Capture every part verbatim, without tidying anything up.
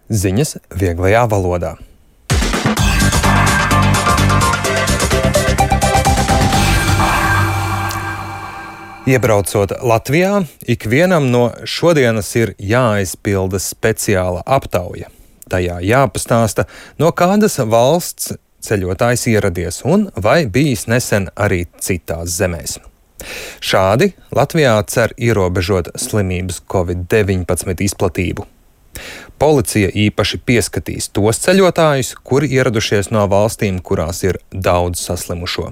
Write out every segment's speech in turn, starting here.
Ziņas vieglajā valodā. Iebraucot Latvijā, ikvienam no šodienas ir jāaizpilda speciāla aptauja. Tajā jāpastāsta, no kādas valsts ceļotājs ieradies un vai bijis nesen arī citās zemēs. Šādi Latvijā cer ierobežot slimības covid deviņpadsmit izplatību. Policija īpaši pieskatīs tos ceļotājus, kuri ieradušies no valstīm, kurās ir daudz saslimušo.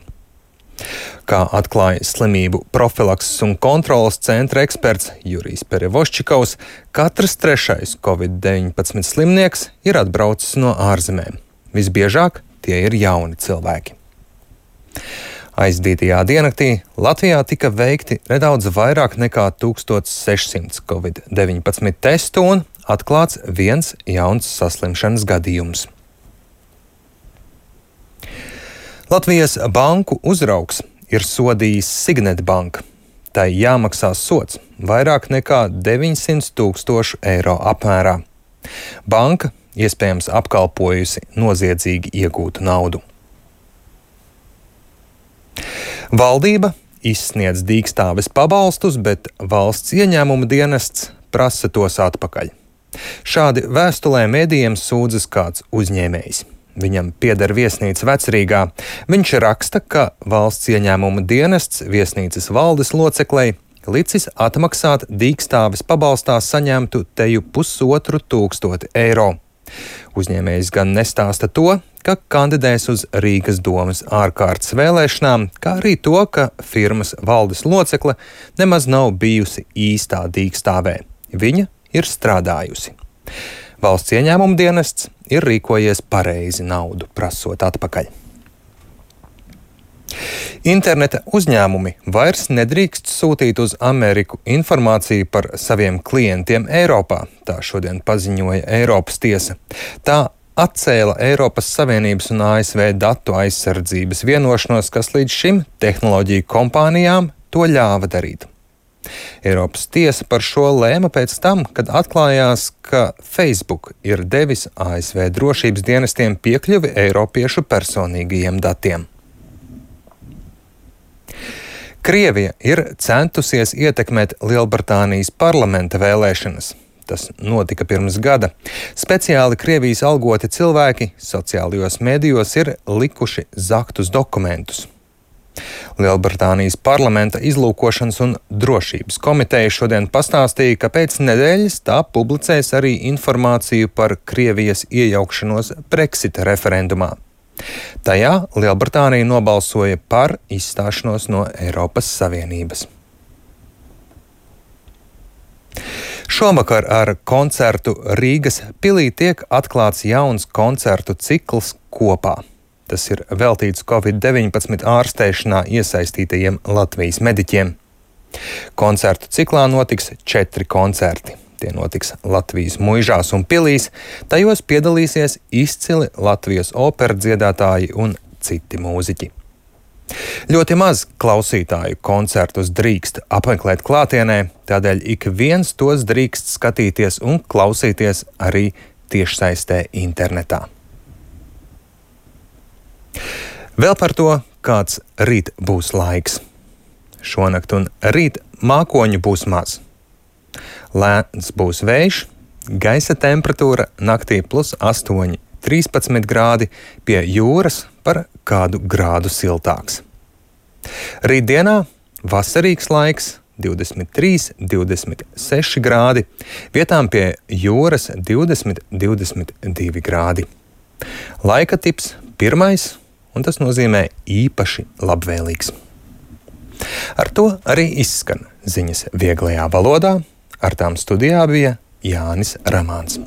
Kā atklāja slimību profilakses un kontrolas centra eksperts Jurijs Perevoščikovs, katrs trešais covid deviņpadsmit slimnieks ir atbraucis no ārzemēm. Visbiežāk tie ir jauni cilvēki. Aizdītajā diennaktī Latvijā tika veikti nedaudz vairāk nekā tūkstoš sešsimt covid deviņpadsmit testu un atklāts viens jauns saslimšanas gadījums. Latvijas banku uzraugs ir sodījis Signet Banka. Tai jāmaksā sods vairāk nekā deviņsimt tūkstošu eiro apmērā. Banka iespējams apkalpojusi noziedzīgi iegūtu naudu. Valdība izsniedz dīkstāves pabalstus, bet valsts ieņēmuma dienests prasa tos atpakaļ. Šādi vēstulē medijiem sūdzas kāds uzņēmējs. Viņam pieder viesnīca Vecrīgā. Viņš raksta, ka valsts ieņēmuma dienests viesnīcas valdes loceklei licis atmaksāt dīkstāves pabalstā saņemtu teju pusotru tūkstoti eiro. Uzņēmējs gan nestāsta to, ka kandidēs uz Rīgas domas ārkārtas vēlēšanām, kā arī to, ka firmas valdes locekle nemaz nav bijusi īstā dīkstāvē. Viņa ir strādājusi. Valsts ieņēmuma dienests ir rīkojies pareizi naudu prasot atpakaļ. Interneta uzņēmumi vairs nedrīkst sūtīt uz Ameriku informāciju par saviem klientiem Eiropā, tā šodien paziņoja Eiropas tiesa. Tā atcēla Eiropas Savienības un A S V datu aizsardzības vienošanos, kas līdz šim tehnoloģiju kompānijām to ļāva darīt. Eiropas tiesa par šo lēma pēc tam, kad atklājās, ka Facebook ir devis A S V drošības dienestiem piekļuvi eiropiešu personīgajiem datiem. Krievija ir centusies ietekmēt Lielbritānijas parlamenta vēlēšanas. Tas notika pirms gada. Speciāli Krievijas algoti cilvēki sociālajos medijos ir likuši zaktus dokumentus. Lielbritānijas parlamenta izlūkošanas un drošības komiteja šodien pastāstīja, ka pēc nedēļas tā publicēs arī informāciju par Krievijas iejaukšanos Brexita referendumā. Tajā Lielbritānija nobalsoja par izstāšanos no Eiropas Savienības. Šovakar ar koncertu Rīgas pilī tiek atklāts jauns koncertu cikls Kopā. Tas ir veltīts covid deviņpadsmit ārstēšanā iesaistītajiem Latvijas mediķiem. Koncertu ciklā notiks četri koncerti. Tie notiks Latvijas muižās un pilīs, tajos piedalīsies izcili Latvijas operas dziedātāji un citi mūziķi. Ļoti maz klausītāju koncertus drīkst apmeklēt klātienē, tādēļ ik viens tos drīkst skatīties un klausīties arī tiešsaistē internetā. Vēl par to, kāds rīt būs laiks. Šonakt un rīt mākoņu būs maz. Lēns būs vējš, gaisa temperatūra naktī plus astoņi, trīspadsmit grādi, pie jūras par kādu grādu siltāks. Rītdienā vasarīgs laiks, divdesmit trīs, divdesmit seši grādi, vietām pie jūras divdesmit, divdesmit divi grādi. Laika tips pirmais, un tas nozīmē īpaši labvēlīgs. Ar to arī izskan ziņas vieglajā valodā. Ar tām studijā bija Jānis Ramāns.